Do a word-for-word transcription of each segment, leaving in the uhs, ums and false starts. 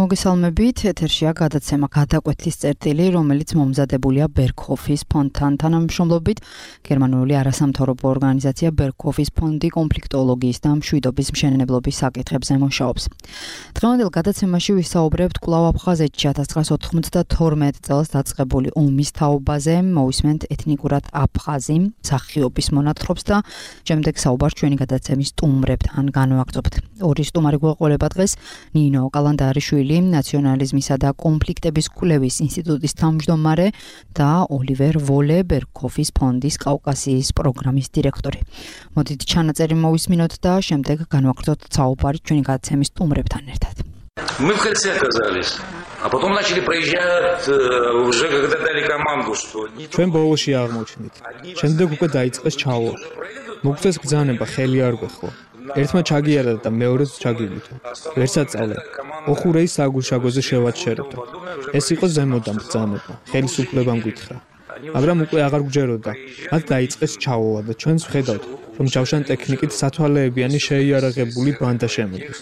მოგესალმებით, ეთერშია გადაცემა გადაკვეთის წერტილი, რომელიც მომზადებულია ბერგჰოფის ფონდთან თანამშრომლობით. გერმანული არასამთავრობო ორგანიზაცია ბერგჰოფის ფონდი კონფლიქტოლოგიის და მშვიდობის მშენებლობის საკითხებზე მუშაობს. დღევანდელ გადაცემაში ვისაუბრებთ კვლავ აფხაზეთში ათას ცხრაასა ოთხმოცდათორმეტ წელს დაწყებული ომის თაობაზე, მოვისმენთ ეთნიკურად აფხაზი მსახიობის მონათხრობს და შემდეგ საუბარს ჩვენი გადაცემის სტუმრებთან განვაგრძობთ. ორი სტუმარი გვეყოლება დღეს ნინო კალანდარიშვილი, ნაციონალიზმისა და კონფლიქტების კვლევის ინსტიტუტის თავმჯდომარე და ოლივერ ვოლე ბერგჰოფის ფონდის კავკასიის პროგრამის დირექტორი. მოდით ჩანაწერი მოვისმინოთ და შემდეგ განვაგრძოთ საუბარი ჩვენი გადაცემის სტუმრებთან ერთად. Мы в кольце оказались, а потом начали проезжать уже когда дали команду, что ჩვენ ბოლოში აღმოჩნდით. შემდეგ უკვე დაიწყეს ჩავა. მოგწეს ბრძანება ხელი არ გვეხო. ერთმა ჩაგიარა და მეორეც ჩაგიგვითო. ვერსაწავლე. ოხურეის საგულშაგოზე შევაჩერებდა. ეს იყო ზემოდან ბრძანება. ხელისუფლებამ გითხრა. მაგრამ უკვე აღარ გვჯეროდა. მათ დაიწყეს ჩავა და ჩვენც ვხედავთ, რომ ჯავშან ტექნიკით სათვალეებიანი შეიარაღებული ბანდა შემოდის.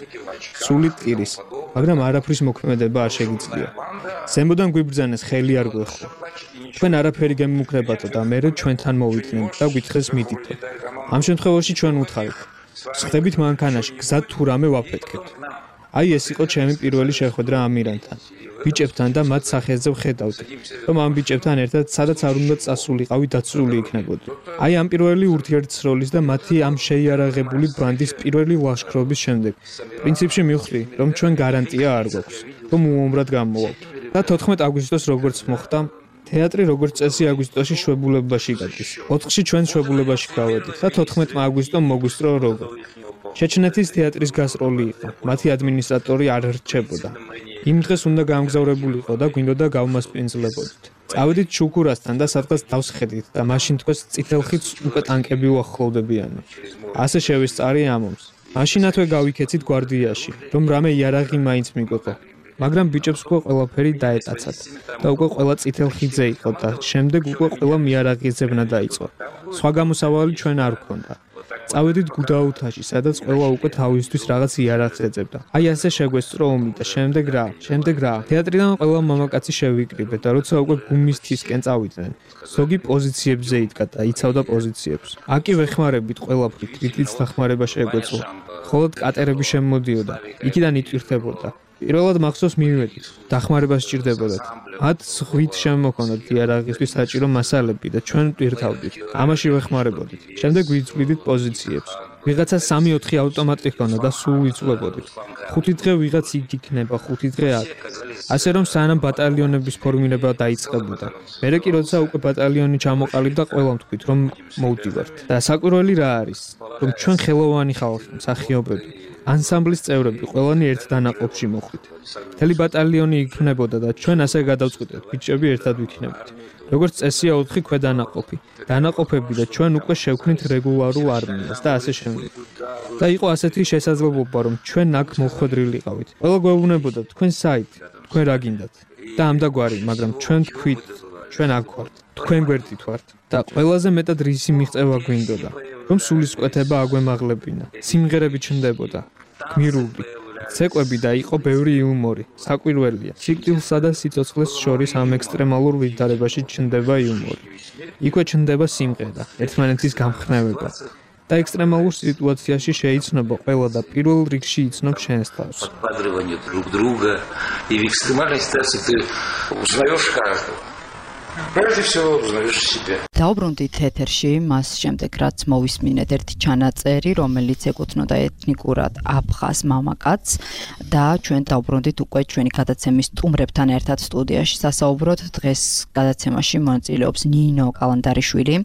სული ტირის, მაგრამ არაფრის მოქმედება არ შეგიძლია. ზემოდან გვიბრძანეს ხელი არ გვეხო. ჩვენ არაფერი გემუქრებათ და მერე ჩვენთან მოვიდნენ და გითხრეს მიდითო. ამ შემთხვევაში ჩვენ უთხარით. ხდებით მანქანაში, გზად თუ რამე ვაფეთქებთ. აი ეს იყო ჩემი პირველი შეხვედრა ამირანთან. ბიჭებთან და მათ სახეზე ვხედავდი, რომ ამ ბიჭებთან ერთად სადაც არ უნდა წასულიყავი დაცული იქნებოდი. აი ამ პირველი ურთიერთსროლის და მათი ამ შეიარაღებული ბანდის პირველი ლაშქრობის შემდეგ. პრინციპში მივხვდი, რომ ჩვენ გარანტია არ გვაქვს, რომ უომრად გამოვავთ. და თოთხმეტ აგვისტოს როგორც მოხდა, თეატრი როგორც წესი აგვისტოში შვებულებაში გადის. ოთხში ჩვენ შვებულებაში გავედით და თოთხმეტ აგვისტომ მოგვისწრო როგორ. ჩეჩნეთის თეატრის გასტროლი იყო. მათი ადმინისტრატორი არ რჩებოდა. იმ დღეს უნდა გამგზავრებულიყო და გვინდოდა გავმასპინძლებოდით. წავედით შუქურასთან და სადღაც დავსხედით და მაშინ თქვენს წითელხიც უკვე ტანკები უახლოვდებიან. ასე შევისწარი ამომს. მაშინათვე გავიქეცით გვარდიაში, რომ რამე იარაღი მაინც მიგვეყო. მაგრამ ბიჭებს უკვე ყველაფერი დაეტაცათ და უკვე ყველა წითელხიძე იყო და შემდეგ უკვე ყველა მიარაღიზებნა დაიწყო. სხვა გამოსავალი ჩვენ არ გვქონდა. წავედით გუდაუთაში, სადაც ყველა უკვე თავისთვის რაღაც იარაღს ეძებდა. აი ასე შეგვესწრო ომი და შემდეგ რა, შემდეგ რა. თეატრიდან ყველა მამაკაცი შევიკრიბე და როცა უკვე გუმისთისკენ წავიდნენ, ზოგი პოზიციებზე იდგა და იცავდა პოზიციებს. აკი ვეხმარებით ყველაფრით, რითიც დახმარება შეგვეძლო. მხოლოდ კატერები შემოდიოდა, იქიდან იტვირთებოდა. პირველად მახსოვს მივედით, დახმარება სჭირდებოდათ. მათ ზღვით შემოქონდათ იარაღისთვის საჭირო მასალები და ჩვენ ვტვირთავდით. ამაში ვეხმარებოდით. შემდეგ ვიწვიდით პოზიციებს. ვიღაცა სამი ოთხი ავტომატი ჰქონდა და სულ ვიწვლებოდით. ხუთი დღე ვიღაც იქ იქნება, ხუთი დღე აქ. ასე რომ სანამ ბატალიონების ფორმირება დაიწყებოდა. მერე კი როცა უკვე ბატალიონი ჩამოყალიბდა, ყველამ თქვით, რომ მოვდივართ. და საკვირველი რა არის? რომ ჩვენ ხელოვანი ხალხი, მსახიობები ანსამბლის წევრები ყველანი ერთ დანაყოფში მოხვით. მთელი ბატალიონი იქნებოდა და ჩვენ ასე გადავწყვიტეთ, ბიჭები ერთად ვიქნებით. როგორც წესია ოთხი ქვედანაყოფი, დანაყოფები და ჩვენ უკვე შევქმნით რეგულარულ არმიას და ასე შემდეგ. და იყო ასეთი შესაძლებლობა, რომ ჩვენ აქ მოხვედრილიყავით. ყველა გვეუბნებოდა, თქვენ საით, თქვენ რა გინდათ? და ამდაგვარი, მაგრამ ჩვენ თქვით, ჩვენ აქ ვართ, თქვენ გვერდით ვართ და ყველაზე მეტად რისი მიღწევა გვინდოდა. რომ სულისკვეთება აგვემაღლებინა, სიმღერები ჩნდებოდა, გმირული, ცეკვები და იყო ბევრი იუმორი, საკვირველია. სიკვდილსა და სიცოცხლეს შორის ამ ექსტრემალურ ვითარებაში ჩნდება იუმორი. იქვე ჩნდება სიმღერა, ერთმანეთის გამხნევება და ექსტრემალურ სიტუაციაში შეიცნობა ყველა და პირველ რიგში იცნობ შენს თავს. Подривание друг друга, и в экстремальной ситуации ты узнаешь каждого. Прежде всего узнаешь себя. დაუბრუნდით ეთერში, მას შემდეგ რაც მოვისმინეთ ერთი ჩანაწერი, რომელიც ეკუთვნოდა ეთნიკურად აფხაზ მამაკაცს და ჩვენ დაუბრუნდით უკვე ჩვენი გადაცემის სტუმრებთან ერთად სტუდიაში სასაუბროთ. დღეს გადაცემაში მონაწილეობს ნინო კალანდარიშვილი,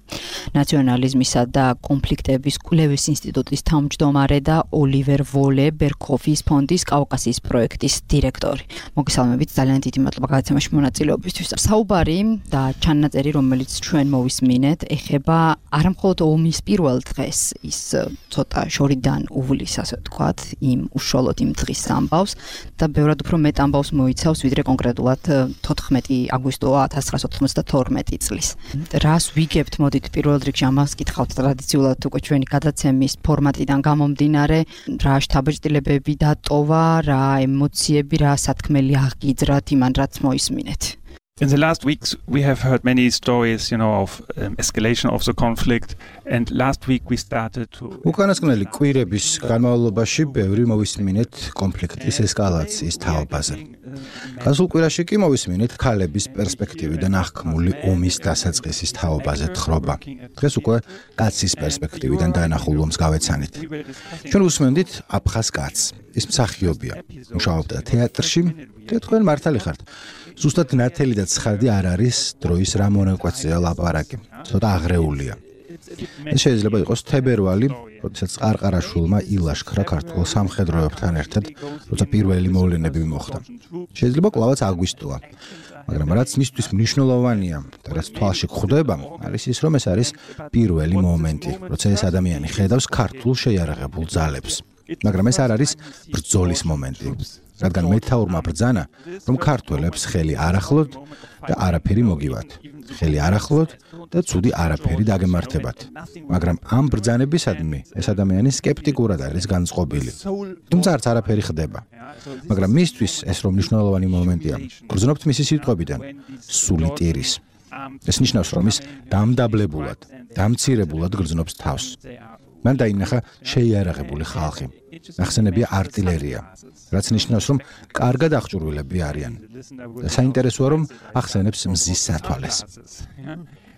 ნაციონალიზმისა და კონფლიქტების კვლევის ინსტიტუტის თავმჯდომარე და ოლივერ ვოლე ბერგჰოფის ფონდის კავკასიის პროექტის დირექტორი. მოგესალმებით, ძალიან დიდი მადლობა გადაცემაში მონაწილეობისთვის. საუბარი და ჩანაწერი, რომელიც ჩვენ მოვისმინეთ მოვისმინეთ, ეხება არა მხოლოდ ომის პირველ დღეს, ის ცოტა შორიდან უვლის, ასე ვთქვათ, იმ უშუალოდ იმ დღის ამბავს და ბევრად უფრო მეტ ამბავს მოიცავს, ვიდრე კონკრეტულად თოთხმეტი აგვისტო ათას ცხრაასა ოცდათორმეტი წლის. რას ვიგებთ, მოდით პირველ რიგში ამას კითხავთ ტრადიციულად უკვე ჩვენი გადაცემის ფორმატიდან გამომდინარე, რა შთაბეჭდილებები დატოვა, რა ემოციები, რა სათქმელი აღიძრათ იმან, რაც მოისმინეთ. In the last weeks, we have heard many stories, you know, of um, escalation of the conflict. And last week we started to... უკანასკნელი კვირების განმავლობაში ბევრი მოვისმინეთ კონფლიქტის ესკალაციის თაობაზე. გასულ კვირაში კი მოვისმინეთ ქალების პერსპექტივიდან აღქმული ომის დასაწყისის თაობაზე თხრობა. დღეს უკვე კაცის პერსპექტივიდან დაანახულ ომს გავეცანით. ჩვენ უსმენდით აფხაზ კაცს. ის მსახიობია. მუშაობდა თეატრში და თქვენ მართალი ხართ. ზუსტად ნათელი და ცხადი არ არის დროის რა მონაკვეთზეა ლაპარაკი. ცოტა აღრეულია. ეს შეიძლება იყოს თებერვალი, როდესაც ყარყარაშვილმა ილაშქრა ქართულ სამხედროებთან ერთად, როცა პირველი მოვლენები მოხდა. შეიძლება კლავაც აგვისტოა. მაგრამ რაც მისთვის მნიშვნელოვანია და რაც თვალში გვხვდება, არის ის, რომ ეს არის პირველი მომენტი, როცა ეს ადამიანი ხედავს ქართულ შეიარაღებულ ძალებს. მაგრამ ეს არ არის ბრძოლის მომენტი. რადგან მეთაურმა ბრძანა, რომ ქართველებს ხელი არ ახლოთ და არაფერი მოგივათ. ხელი არ ახლოთ და ცუდი არაფერი დაგემართებათ. მაგრამ ამ ბრძანებისადმი ეს ადამიანი სკეპტიკურად არის განწყობილი. თუმცა არც არაფერი ხდება. მაგრამ მისთვის ეს რომ მნიშვნელოვანი მომენტია. გრძნობთ მისი სიტყვებიდან, სული ტირის. ეს ნიშნავს, რომ ის დამდაბლებულად, დამცირებულად გრძნობს თავს. მან დაინახა შეიარაღებული ხალხი. ახსენებია არტილერია, რაც ნიშნავს, რომ კარგად აღჭურვილები არიან. და საინტერესოა, რომ ახსენებს მზის სათვალეს.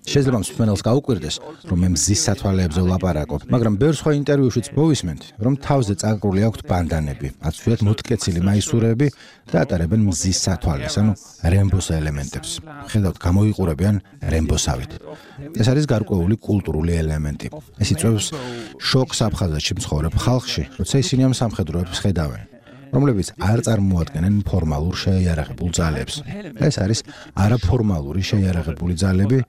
შეიძლება მსმენელს გაუკვირდეს, რომ მე მზის სათვალეებზე ვლაპარაკობ, მაგრამ ბევრ სხვა ინტერვიუშიც მოვისმენთ, რომ თავზე წაკრული აქვთ ბანდანები, აწვიათ მოთკეცილი მაისურები და ატარებენ მზის სათვალეს, ანუ რემბოს ელემენტებს. ხედავთ, გამოიყურებიან რემბოსავით. ეს არის გარკვეული კულტურული ელემენტი. ეს იწვევს შოკს აფხაზეთში მცხოვრებ ხალხში, როცა ისინი ამ სამხედროებს ხედავენ, რომლებიც არ წარმოადგენენ ფორმალურ შეიარაღებულ ძალებს. ეს არის არაფორმალური შეიარაღებული ძალები,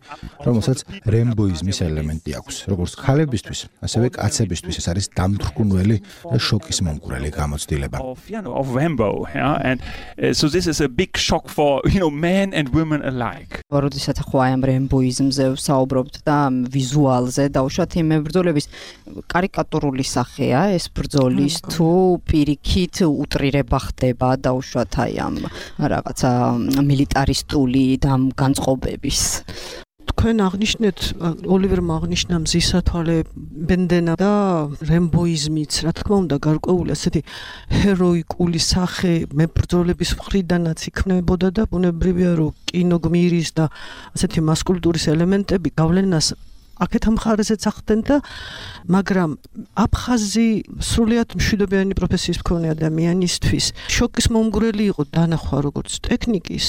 რომელსაც რემბოიზმის ელემენტი აქვს. როგორც ქალებისთვის, ასევე კაცებისთვის ეს არის დამთრგუნველი და შოკის მომგვრელი გამოცდილება. Of Rambo, yeah? And uh, so this is a big shock for, you know, men and women alike. როდესაც ახლა აი ამ რემბოიზმზე ვსაუბრობთ და ვიზუალზე დაუშვათ იმ ბრძოლების კარიკატურული სახეა ეს ბრძოლის თუ პირიქით უტრირება ხდება დაუშვათ აი ამ რაღაცა მილიტარისტული და განწყობების. თქვენ აღნიშნეთ, ოლივერმა აღნიშნა მზის სათვალე, ბენდენა და რემბოიზმიც, რა თქმა უნდა, გარკვეული ასეთი ჰეროიკული სახე მებრძოლების მხრიდანაც იქმნებოდა და ბუნებრივია, რომ კინოგმირის და ასეთი მასკულტურის ელემენტები გავლენას აქეთ ამ მხარეზეც ახდენ და მაგრამ აფხაზი სრულიად მშვიდობიანი პროფესიის მქონე ადამიანისთვის შოკის მომგვრელი იყო დანახვა როგორც ტექნიკის,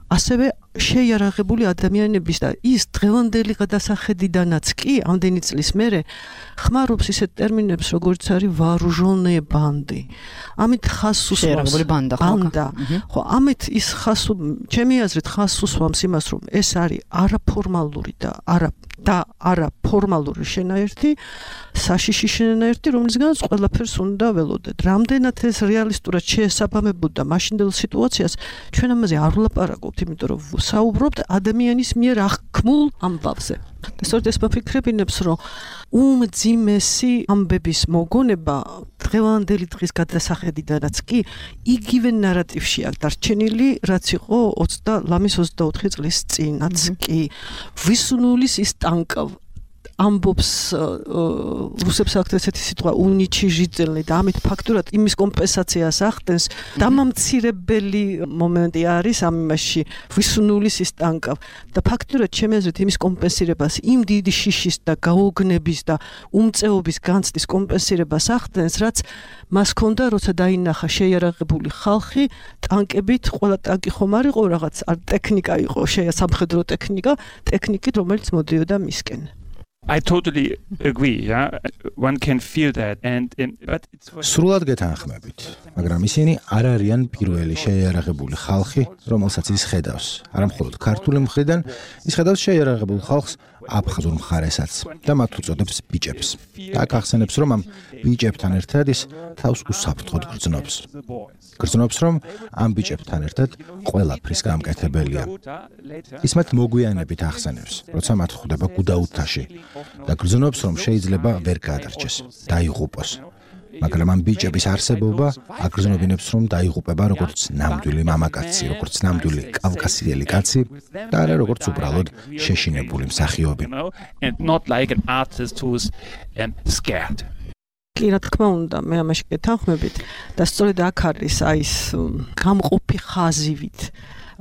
ასევე შეიარაღებული ადამიანების და ის დღევანდელი გადასახედიდანაც კი ამდენი წლის მერე ხმარობს ისეთ ტერმინებს როგორც არის ვარუჟონე ბანდი. ამით ხას უსვამს ბანდა, ხო, ამით ის ხას ჩემი აზრით ხას უსვამს იმას, რომ ეს არის არაფორმალური და არა და არაფორმალური შენაერთი, საშიში შენაერთი, რომლისგანაც ყველაფერს უნდა ველოდეთ. რამდენად ეს რეალისტურად შეესაბამებოდა მაშინდელ სიტუაციას, ჩვენ ამაზე არ ვლაპარაკობთ, იმიტომ რომ საუბრობთ ადამიანის მიერ აღქმულ ამბავზე. და სწორედ ეს მოფიქრებინებს, რომ უმძიმესი ამბების მოგონება დღევანდელი დღის გადასახედიდანაც კი იგივე ნარატივში აქვს დარჩენილი, რაც იყო ლამის ოცდაოთხი წლის წინაც კი. ვისუნულის ის ტანკ ამბობს რუსებს აქვს ესეთი სიტყვა უნიჩი ჟიძელნი და ამით ფაქტურად იმის კომპენსაციას ახდენს. დამამცირებელი მომენტი არის ამ იმაში ვისუნულის ის ტანკა და ფაქტურად ჩემი აზრით იმის კომპენსირებას, იმ დიდი შიშის და გაოგნების და უმწეობის განცდის კომპენსირებას ახდენს, რაც მას ჰქონდა, როცა დაინახა შეიარაღებული ხალხი ტანკებით, ყველა ტანკი ხომ არ იყო რაღაც ტექნიკა იყო, სამხედრო ტექნიკა, ტექნიკით, რომელიც მოდიოდა მისკენ. I totally agree, yeah. One can feel that and in, but it's სრულად გეთანხმებით, მაგრამ ისინი არ არიან პირველი შეიარაღებული ხალხი, რომელსაც ის ხედავს. არა მხოლოდ ქართული მხრიდან, ის ხედავს შეიარაღებულ ხალხს აფხაზურ მხარესაც და მათ უწოდებს ბიჭებს. და გახსენებს, რომ ამ ბიჭებთან ერთად ის თავს უსაფრთხოდ გრძნობს. გრძნობს, რომ ამ ბიჭებთან ერთად ყველაფრის გამკეთებელია. ის მათ მოგვიანებით ახსენებს, როცა მათ ხვდება გუდაუთაში და გრძნობს, რომ შეიძლება ვერ გადარჩეს, დაიღუპოს. მაგრამ ამ ბიჭების არსებობა აგრძნობინებს, რომ დაიღუპება როგორც ნამდვილი მამაკაცი, როგორც ნამდვილი კავკასიელი კაცი და არა როგორც უბრალოდ შეშინებული მსახიობი. კი, რა თქმა უნდა, მე ამაში გეთანხმებით და სწორედ აქ არის აი ეს გამყოფი ხაზივით,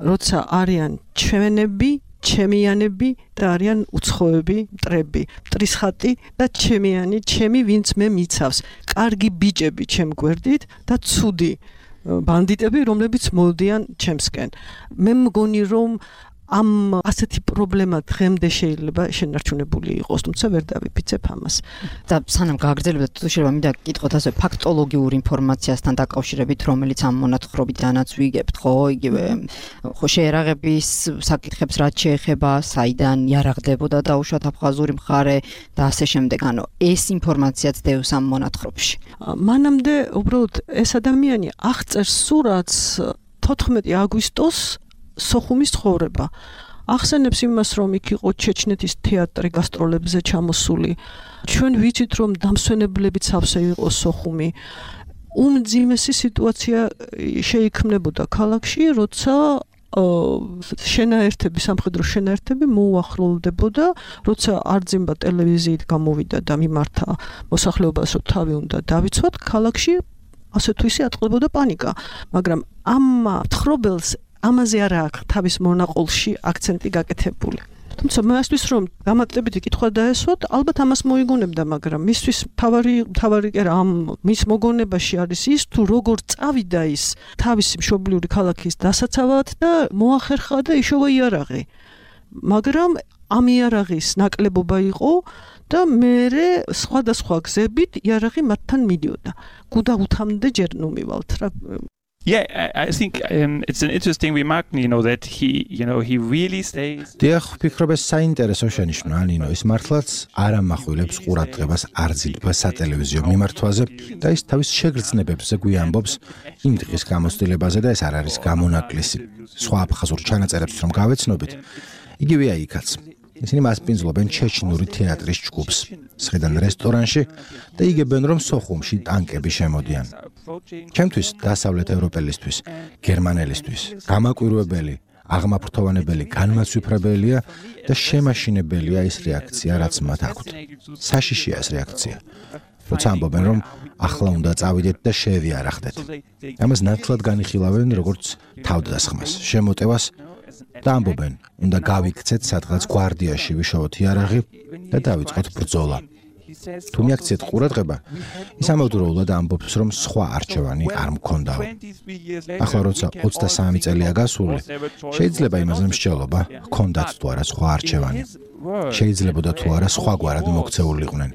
როცა არიან ჩვენები ჩემიანები და არიან უცხოები, მტრები, მტრის ხატი და ჩემიანი, ჩემი ვინც მე მიცავს. კარგი ბიჭები ჩემ გვერდით და ცუდი ბანდიტები, რომლებიც მოდიან ჩემსკენ. მე მგონი, რომ ამ ასეთი პრობლემა დღემდე შეიძლება შენარჩუნებული იყოს, თუმცა ვერ დავიფიცებ ამას. და სანამ გააგრძელებთ, თუ შეიძლება მინდა გითხოთ ასე ფაქტოლოგიურ ინფორმაციასთან დაკავშირებით, რომელიც ამ მონათხრობიდანაც ვიგებთ, ხო, იგივე ხო შეერაღების საკითხებს რაც შეეხება, საიდან იარაღდებოდა დაუშვათ აფხაზური მხარე და ასე შემდეგ, ანუ ეს ინფორმაციაც დევს ამ მონათხრობში. მანამდე უბრალოდ ეს ადამიანი აღწერს სურათს თოთხმეტი აგვისტოს სოხუმის ცხოვრება. ახსენებს იმას, რომ იქ იყო ჩეჩნეთის თეატრი გასტროლებზე ჩამოსული. ჩვენ ვიცით, რომ დამსვენებლებიც ავსე იყო სოხუმი. უმძიმესი სიტუაცია შეიქმნებოდა ქალაქში, როცა შენაერთები, სამხედრო შენაერთები მოუახლოვდებოდა, როცა არძიმბა ტელევიზიით გამოვიდა და მიმართა მოსახლეობას, რომ თავი უნდა დავიცვათ, ქალაქში ასე თუ ისე ატყდებოდა პანიკა. მაგრამ ამ მთხრობელს ამაზე არა აქვს თავის მონაყოლში აქცენტი გაკეთებული. თუმცა მასთვის რომ გამატლებითი კითხვა დაესვათ, ალბათ ამას მოიგონებდა, მაგრამ მისთვის თავარი თავარი კი ამ მის მოგონებაში არის ის, თუ როგორ წავიდა ის თავისი მშობლიური ქალაქის დასაცავად და მოახერხა და იშოვა იარაღი. მაგრამ ამ იარაღის ნაკლებობა იყო და მერე სხვადასხვა გზებით იარაღი მათთან მიდიოდა. გუდაუთამდე ჯერ ნუ მივალთ რა. Yeah, I, I think um, it's an interesting remark, you know, that he, you know, he really stays. დიახ, ვფიქრობ ეს საინტერესო შენიშვნაა, ნინო, ის მართლაც არ ამახვილებს ყურადღებას არძილბა სატელევიზიო მიმართვაზე და ის თავის შეგრძნებებზე გვიამბობს იმ დღის გამოცდილებაზე და ეს არ არის გამონაკლისი. სხვა აფხაზურ ჩანაწერებს რომ გავეცნობით, იგივეა იქაც. ისინი მასპინძლობენ ჩეჩნური თეატრის ჯგუფს, სხედან რესტორანში და იგებენ, რომ სოხუმში ტანკები შემოდიან. ჩემთვის დასავლეთ ევროპელისთვის, გერმანელისთვის, გამაკვირვებელი, აღმაფრთოვანებელი, განმაცვიფრებელია და შემაშინებელია ის რეაქცია, რაც მათ აქვთ. საშიშია ეს რეაქცია. როცა ამბობენ, რომ ახლა უნდა წავიდეთ და შევიარაღდეთ. ამას ნათლად განიხილავენ როგორც თავდასხმას, შემოტევას და ამბობენ, უნდა გავიქცეთ სადღაც გვარდიაში ვიშოვოთ იარაღი და დავიწყოთ ბრძოლა. თუ მიაქციეთ ყურადღება, ის ამავდროულად ამბობს, რომ სხვა არჩევანი არ მქონდაო. ახლა როცა ოცდასამი წელია გასული, შეიძლება იმაზე მსჯელობა ჰქონდათ თუ არა სხვა არჩევანი. შეიძლებოდა თუ არა სხვაგვარად მოქცეულიყვნენ.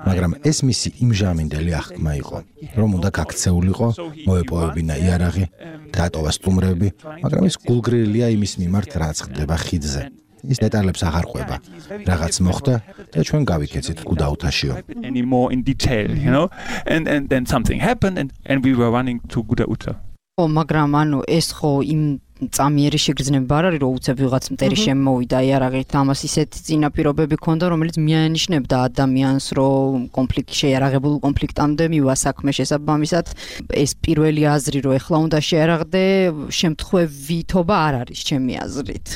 მაგრამ ეს მისი იმჟამინდელი აღქმა იყო, რომ უნდა გაქცეულიყო, მოეპოვებინა იარაღი, დატოვა სტუმრები, მაგრამ ის გულგრილია იმის მიმართ, რაც ხდება ხიდზე. ის დეტალებს აღარ ყვება. რაღაც მოხდა და ჩვენ გავიქეცით გუდაუთაშიო. Anymore in detail, you know, and and then something happened and and we were running to Gudauta. ო, მაგრამ ანუ ეს ხო იმ წამიერი შეგრძნება არ არის, რომ უცებ ვიღაც მტერი შემოვიდა იარაღით, ამას ისეთი წინაპირობები ქონდა, რომელიც მიანიშნებდა ადამიანს, რომ კონფლიქტი შეიარაღებულ კონფლიქტამდე მივა საქმე შესაბამისად. ეს პირველი აზრი, რომ ეხლა უნდა შეიარაღდე, შემთხვევითობა არ არის ჩემი აზრით.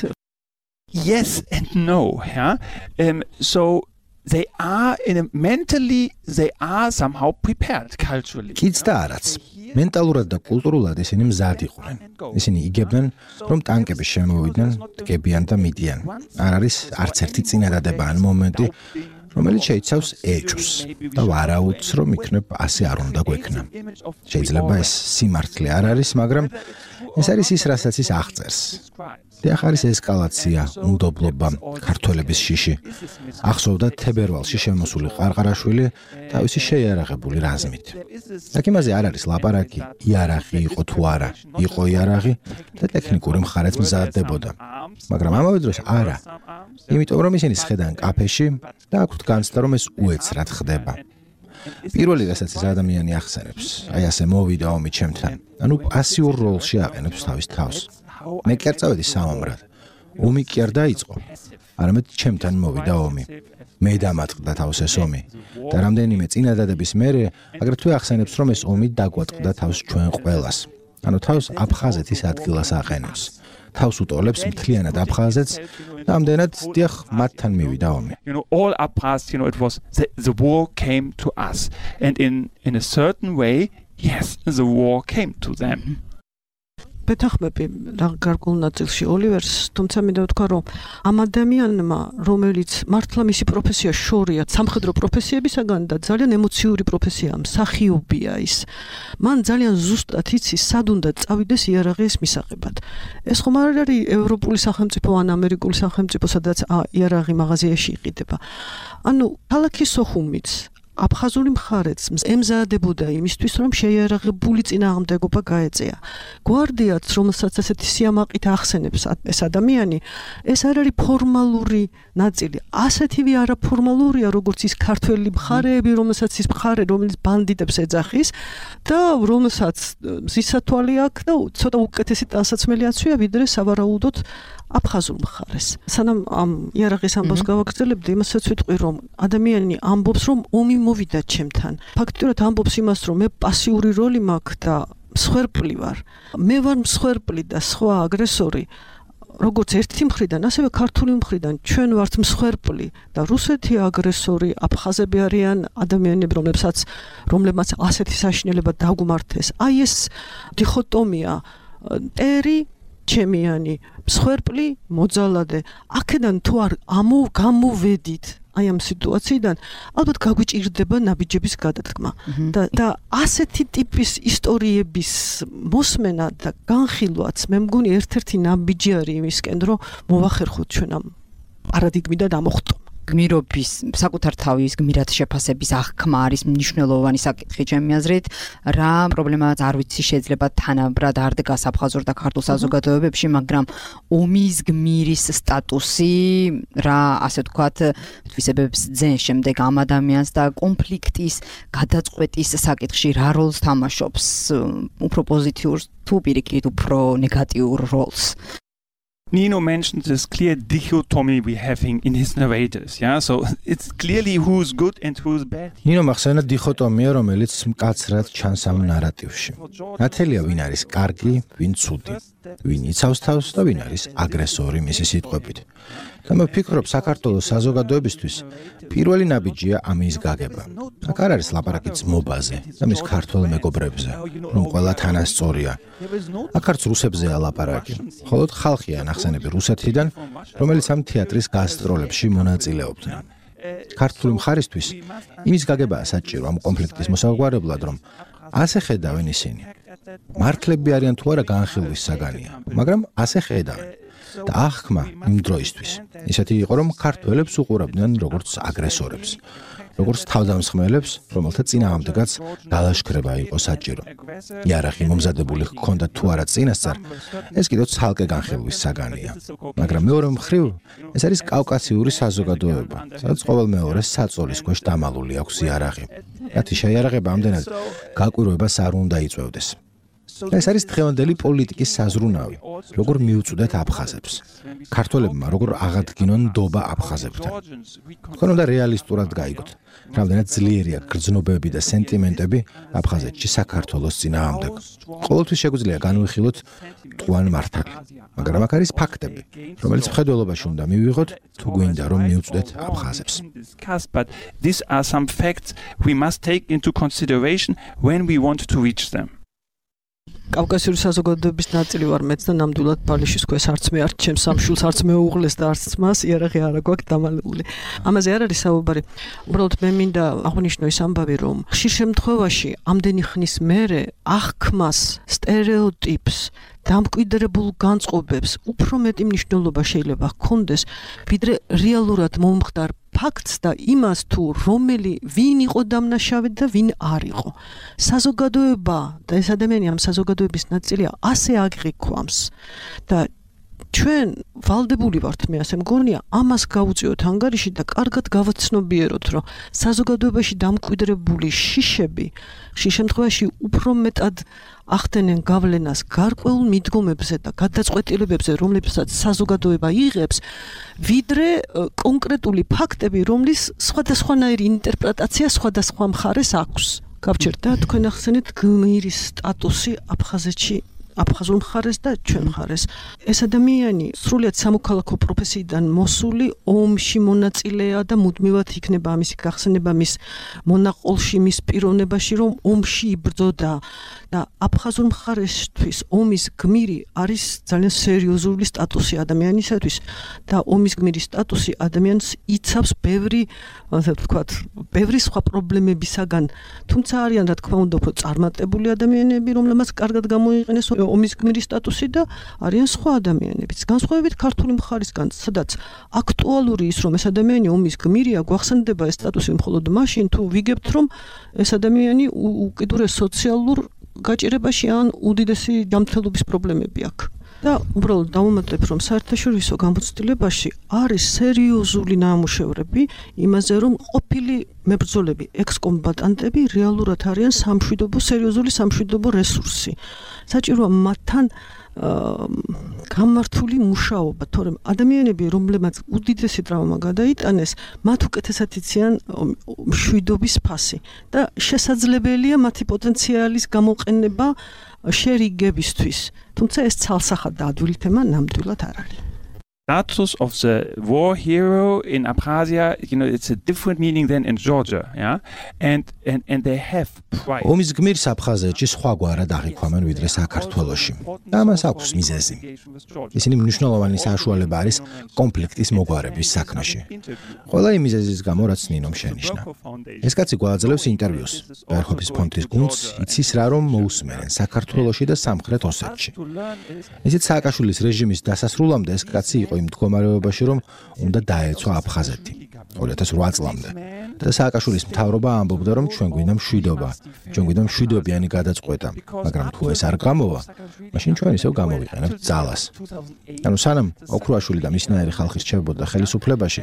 Yes and no, yeah. Um, so they are in a, mentally they are somehow prepared culturally. კიც და არაც. მენტალურად და კულტურულად ისინი მზად იყვნენ. ისინი იგებდნენ, რომ ტანკები შემოვიდნენ, დგებიან და მიდიან. არ არის არც ერთი წინადადება ან მომენტი, რომელიც შეიცავს ეჭვს და ვარაუდს, რომ იქნებ ასე არ უნდა გვექნა. შეიძლება ეს სიმართლე არ არის, მაგრამ ეს არის ის, რასაც ის აღწერს. დიახ, არის ესკალაცია, უნდობლობა, ქართველების შიში. ახსოვდა თებერვალში შემოსული ყარყარაშვილი თავისი შეიარაღებული რაზმით. აქ იმაზე არ არის ლაპარაკი, იარაღი იყო თუ არა, იყო იარაღი და ტექნიკური მხარეც მზადდებოდა. მაგრამ ამავე დროს არა. იმიტომ რომ ისინი სხედან კაფეში და აქვთ განცდა რომ ეს უეცრად ხდება. პირველი რასაც ეს ადამიანი ახსენებს, აი ასე მოვიდა ომი ჩემთან. ანუ პასიურ როლში აყენებს თავის თავს. მე კი არ წავედი საომრად. ომი კი არ დაიწყო. არამედ ჩემთან მოვიდა ომი. მე დამატყდა თავს ეს ომი. და რამდენიმე წინადადების მერე აგრეთვე ახსენებს რომ ეს ომი დაგვატყდა თავს ჩვენ ყველას. ანუ თავს აფხაზეთის ადგილას აყენებს. თავს უტოლებს მთლიანად აფხაზეთს და ამდენად დიახ მათთან მივიდა ომი. You know, all Abkhaz, you know, it was the, the war came to us, and in in a certain way, yes, the war came to them. Πετάχმები რა გარკვეულ ნაწილში ოლივერს, თუმცა მინდა ვთქვა, რომ ამ ადამიანმა, რომელიც მართლა მისი პროფესია შორია სამხედრო პროფესიებისაგან და ძალიან ემოციური პროფესიაა, მსახიობია ის. მან ძალიან ზუსტად იცის, სად უნდა წავიდეს იარაღის მისაღებად. ეს ხომ არ არის ევროპული სახელმწიფო ან ამერიკული სახელმწიფო, სადაც იარაღი მაღაზიაში იყიდება. ანუ ქალაქის სოხუმიც აფხაზური მხარეც ემზადებოდა იმისთვის, რომ შეიარაღებული წინააღმდეგობა გაეწეა. გვარდიაც, რომელსაც ასეთი სიამაყით ახსენებს ეს ადამიანი, ეს არ არის ფორმალური ნაწილი. ასეთივე არაფორმალურია, როგორც ის ქართველი მხარეები, რომელსაც ის მხარე, რომელიც ბანდიტებს ეძახის და რომელსაც მზისათვალი აქვს და ცოტა უკეთესი ტანსაცმელიაცვია, ვიდრე სავარაუდოდ აფხაზურ მხარეს. სანამ ამ იარაღის ამბავს გავაგრძელებდი, იმასაც ვიტყვი, რომ ადამიანი ამბობს, რომ ომი მოვიდა ჩემთან. ფაქტობრივად ამბობს იმას, რომ მე პასიური როლი მაქვს და მსხვერპლი ვარ. მე ვარ მსხვერპლი და სხვა აგრესორი. როგორც ერთი მხრიდან, ასევე ქართული მხრიდან ჩვენ ვართ მსხვერპლი და რუსეთი აგრესორი, აფხაზები არიან ადამიანები, რომლებსაც რომლებმაც ასეთი საშინელება დაგუმართეს. აი ეს დიხოტომია ტერი ჩემიანი, მსხვერპლი, მოძალადე. აქედან თუ არ ამო გამოვედით აი ამ სიტუაციიდან, ალბათ გაგვიჭირდება ნაბიჯების გადადგმა. და და ასეთი ტიპის ისტორიების მოსმენა და განხილვაც მე მგონი ერთ-ერთი ნაბიჯი არის იმისკენ, რომ მოვახერხოთ ჩვენ ამ პარადიგმიდან ამოხტო. გმირობის საკუთარ თავის გმირად შეფასების აღქმა არის მნიშვნელოვანი საკითხი ჩემი აზრით. რა პრობლემაა არ ვიცი, შეიძლება თანაბრად არ დგას აფხაზურ და ქართულ საზოგადოებებში, მაგრამ ომის გმირის სტატუსი რა ასე ვთქვათ, თვისებებს ძენ შემდეგ ამ ადამიანს და კონფლიქტის გადაწყვეტის საკითხში რა როლს თამაშობს, უფრო პოზიტიურ თუ პირიქით უფრო ნეგატიურ როლს. Nino mentioned this clear dichotomy we having in his narrators, yeah? So it's clearly who's good and who's bad. ნინო მახსენა დიხოტომია, რომელიც მკაცრად ჩანს ამ ნარატივში. ნათელია ვინ არის კარგი, ვინ ცუდი, ვინ იცავს თავს და ვინ არის აგრესორი მისი სიტყვებით. და მე ვფიქრობ, საქართველოს საზოგადოებისთვის პირველი ნაბიჯია ამის გაგება. აქ არ არის ლაპარაკი ძმობაზე და მის ქართველ მეგობრებზე, რომ ყველა თანასწორია. აქ არც რუსებზეა ლაპარაკი, მხოლოდ ხალხია ნახსენები რუსეთიდან, რომელიც ამ თეატრის გასტროლებში მონაწილეობდნენ. ქართული მხარისთვის იმის გაგებაა საჭირო ამ კონფლიქტის მოსაგვარებლად, რომ ასე ხედავენ ისინი. მართლები არიან თუ არა განხილვის საგანია, მაგრამ ასე ხედავენ. და აღქმა იმ დროისთვის ისეთი იყო, რომ ქართველებს უყურებდნენ როგორც აგრესორებს, როგორც თავდამსხმელებს, რომელთა წინააღმდეგაც დალაშქრება იყო საჭირო. იარაღი მომზადებული ჰქონდა თუ არა წინასწარ, ეს კიდევ ცალკე განხილვის საგანია. მაგრამ მეორე მხრივ, ეს არის კავკასიური საზოგადოება, სადაც ყოველმეორეს საწოლის ქვეშ დამალული აქვს იარაღი. მათი შეიარაღება ამდენად გაკვირვებას არ უნდა იწვევდეს. ეს არის დღევანდელი პოლიტიკის საზრუნავი, როგორ მიუწვდეთ აფხაზებს. ქართველებმა როგორ აღადგინონ ნდობა აფხაზებთან. თქვენ უნდა რეალისტურად გაიგოთ, რამდენად ძლიერია გრძნობები და სენტიმენტები აფხაზეთში საქართველოს წინააღმდეგ. ყოველთვის შეგვიძლია განვიხილოთ მტყუან მართალი, მაგრამ აქ არის ფაქტები, რომელიც მხედველობაში უნდა მივიღოთ, თუ გვინდა რომ მიუწვდეთ აფხაზებს. But these are some facts we must take into consideration when we want to reach them. კავკასიური საზოგადოების ნაწილი ვარ მეც და ნამდვილად ბალიშის ქვეშ არც მე არც ჩემს სამშულს არც მეუღლეს და არც ძმას იარაღი არ აქვს დამალული. ამაზე არ არის საუბარი. უბრალოდ მე მინდა აღვნიშნო ის ამბავი, რომ ხშირ შემთხვევაში ამდენი ხნის მერე აღქმას, სტერეოტიპს, დამკვიდრებულ განწყობებს უფრო მეტი მნიშვნელობა შეიძლება ჰქონდეს, ვიდრე რეალურად მომხდარ ფაქტს და იმას თუ რომელი ვინ იყო დამნაშავე და ვინ არ იყო. საზოგადოება და ეს ადამიანი ამ საზოგადოების ნაწილია ასე აგიქვამს და ჩვენ ვალდებული ვართ, მე ასე მგონია, ამას გავუწიოთ ანგარიში და კარგად გავაცნობიეროთ, რომ საზოგადოებაში დამკვიდრებული შიშები ხშირ შემთხვევაში უფრო მეტად ახდენენ გავლენას გარკვეულ მიდგომებზე და გადაწყვეტილებებზე, რომლებსაც საზოგადოება იღებს, ვიდრე კონკრეტული ფაქტები, რომლის სხვადასხვანაირი ინტერპრეტაცია სხვადასხვა მხარეს აქვს. გავჩერდა თქვენ ახსენეთ გმირის სტატუსი აფხაზეთში აფხაზურ მხარეს და ჩვენ მხარეს. ეს ადამიანი სრულიად სამოქალაქო პროფესიიდან მოსული ომში მონაწილეა და მუდმივად იქნება ამისი გახსენება მის მონაყოლში, მის პიროვნებაში, რომ ომში იბრძოდა და აფხაზურ მხარესთვის ომის გმირი არის ძალიან სერიოზული სტატუსი ადამიანისათვის და ომის გმირის სტატუსი ადამიანს იცავს ბევრი, ასე ვთქვათ, ბევრი სხვა პრობლემებისაგან, თუმცა არიან რა თქმა უნდა უფრო წარმატებული ადამიანები, რომლებმაც კარგად გამოიყენეს ომის გმირის სტატუსი და არიან სხვა ადამიანებიც. განსხვავებით ქართული მხარისგან, სადაც აქტუალური ის, რომ ეს ადამიანი ომის გმირია, გვახსენდება ეს სტატუსი მხოლოდ მაშინ, თუ ვიგებთ, რომ ეს ადამიანი უკიდურეს სოციალურ გაჭირებაში ან უდიდესი ჯანმრთელობის პრობლემები აქვს. და უბრალოდ დავუმატებ, რომ საერთაშორისო გამოცდილებაში არის სერიოზული ნამუშევრები იმაზე, რომ ყოფილი მებრძოლები, ექს-კომბატანტები რეალურად არიან სამშვიდობო, სერიოზული სამშვიდობო რესურსი. საჭიროა მათთან გამართული მუშაობა, თორემ ადამიანები, რომლებმაც უდიდესი ტრავმა გადაიტანეს, მათ უკეთესად იციან მშვიდობის ფასი და შესაძლებელია მათი პოტენციალის გამოყენება შერიგებისთვის. თუმცა ეს ცალსახად და ადვილი თემა ნამდვილად არ არის. Status of the war hero in Abkhazia, you know, it's a different meaning than in Georgia, yeah, and and and they have pride. ომის გმირს აფხაზეთში სხვაგვარად აღიქვამენ ვიდრე საქართველოში. და ამას აქვს მიზეზი. ისინი მნიშვნელოვანი საშუალება არის კონფლიქტის მოგვარების საქმეში. ყველა იმ მიზეზის გამო, რაც ნინომ შენიშნა. ეს კაცი გვაძლევს ინტერვიუს ბერჰოფის ფონდის გუნდს, იცის რა რომ მოусმენენ საქართველოში და სამხრეთ ოსეთში. ისიც სააკაშვილის რეჟიმის დასასრულამდე ეს კაცი იყო იმ მდგომარეობაში, რომ უნდა დაეცვა აფხაზეთი ორი ათას ოთხ წლამდე. და სააკაშვილის მთავრობა ამბობდა, რომ ჩვენ გვინდა მშვიდობა, ჩვენ გვინდა მშვიდობიანი გადაწყვეტა, მაგრამ თუ ეს არ გამოვა, მაშინ ჩვენ ისევ გამოვიყენებთ ძალას. ანუ სანამ ოქრუაშვილი და მისნაირი ხალხი რჩებოდა ხელისუფლებაში,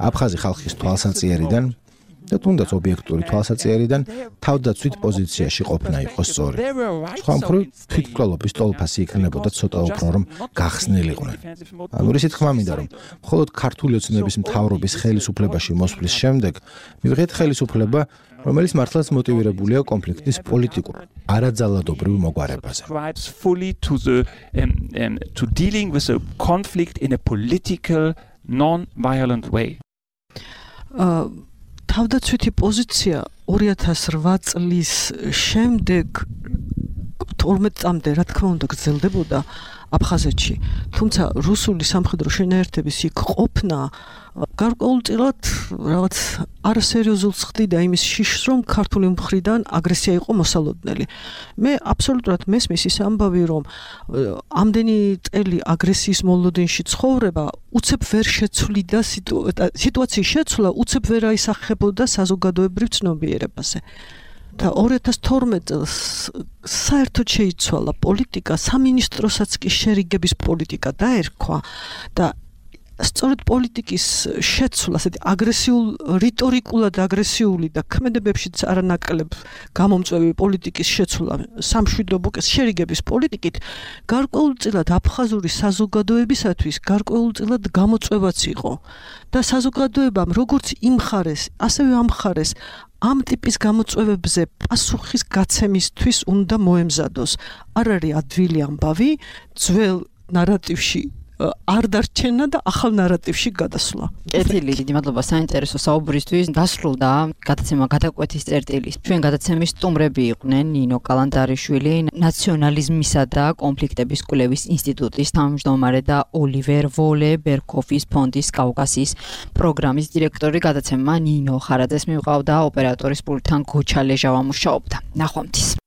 აფხაზი ხალხის თვალსაწიერიდან და თუნდაც ობიექტური თვალსაწიერიდან თავდაცვით პოზიციაში ყოფნა იყო სწორი. სხვა მხრივ თვითმკვლელობის ტოლფასი იქნებოდა ცოტა უფრო რომ გახსნილიყვნენ. ანუ ისეთ თქმა მინდა რომ მხოლოდ ქართული ოცნების მთავრობის ხელისუფლებაში მოსვლის შემდეგ მივიღეთ ხელისუფლება, რომელიც მართლაც მოტივირებულია კონფლიქტის პოლიტიკურ, არაძალადობრივ მოგვარებაზე. fully to the um, um, to dealing with a conflict in a political non-violent way. Uh, თავდაცვითი პოზიცია ორი ათას რვა წლის შემდეგ თორმეტ წამდე რა თქმა უნდა გრძელდებოდა აფხაზეთში. თუმცა რუსული სამხედრო შენაერთების იქ ყოფნა გარკვეულწილად რაღაც არასერიოზულს ხდიდა იმის შიშს, რომ ქართული მხრიდან აგრესია იყო მოსალოდნელი. მე აბსოლუტურად მესმის ის ამბავი, რომ ამდენი წელი აგრესიის მოლოდინში ცხოვრება უცებ ვერ შეცვლიდა სიტუაციის შეცვლა უცებ ვერ აისახებოდა საზოგადოებრივ ცნობიერებაზე. და ორი ათას თორმეტ წელს საერთოდ შეიცვალა პოლიტიკა, სამინისტროსაც კი შერიგების პოლიტიკა დაერქვა და სწორედ პოლიტიკის შეცვლა, ასეთი აგრესიულ, რიტორიკულად აგრესიული და ქმედებებშიც არანაკლებ გამომწვევი პოლიტიკის შეცვლა სამშვიდობო შერიგების პოლიტიკით გარკვეულწილად აფხაზური საზოგადოებისათვის გარკვეულწილად გამოწვევაც იყო. და საზოგადოებამ როგორც იმხარეს, ასევე ამხარეს ამ ტიპის გამოწვევებზე პასუხის გაცემისთვის უნდა მოემზადოს. არ არის ადვილი ამბავი, ძველ ნარატივში არ დარჩენა და ახალ ნარატივში გადასვლა. კეთილი, დიდი მადლობა საინტერესო საუბრისთვის. დასრულდა გადაცემა გადაკვეთის წერტილი. ჩვენ გადაცემის სტუმრები იყვნენ ნინო კალანდარიშვილი, ნაციონალიზმისა და კონფლიქტების კვლევის ინსტიტუტის თავმჯდომარე და ოლივერ ვოლე, ბერქოფის ფონდის კავკასიის პროგრამის დირექტორი. გადაცემა ნინო ხარაძეს მივყავდა, ოპერატორის პულტთან გოჩა ლეჟავა მუშაობდა. ნახვამდის.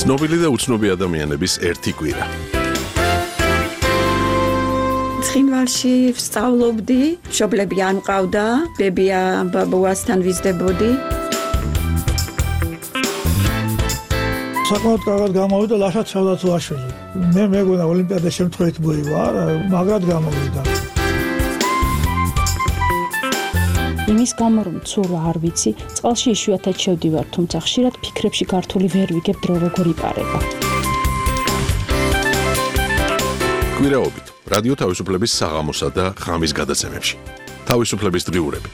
ცნობილი და უცნობი ადამიანების ერთი კვირა. ცხინვალში ვსწავლობდი, მშობლები არ მყავდა, ბებია ბაბუასთან ვიზრდებოდი. საკმაოდ კარგად გამოვიდა ლაშა ჩავდაცვაშვილი. მე მეგონა ოლიმპიადა შემთხვევით მოივა, მაგრად გამოვიდა. იმის გამო რომ ცურვა არ ვიცი, წყალში იშვიათად შევდივარ, თუმცა ხშირად ფიქრებში გართული ვერ ვიგებ დრო როგორ იპარება. კვირაობით რადიო თავისუფლების საღამოსა და ღამის გადაცემებში. თავისუფლების დღიურები.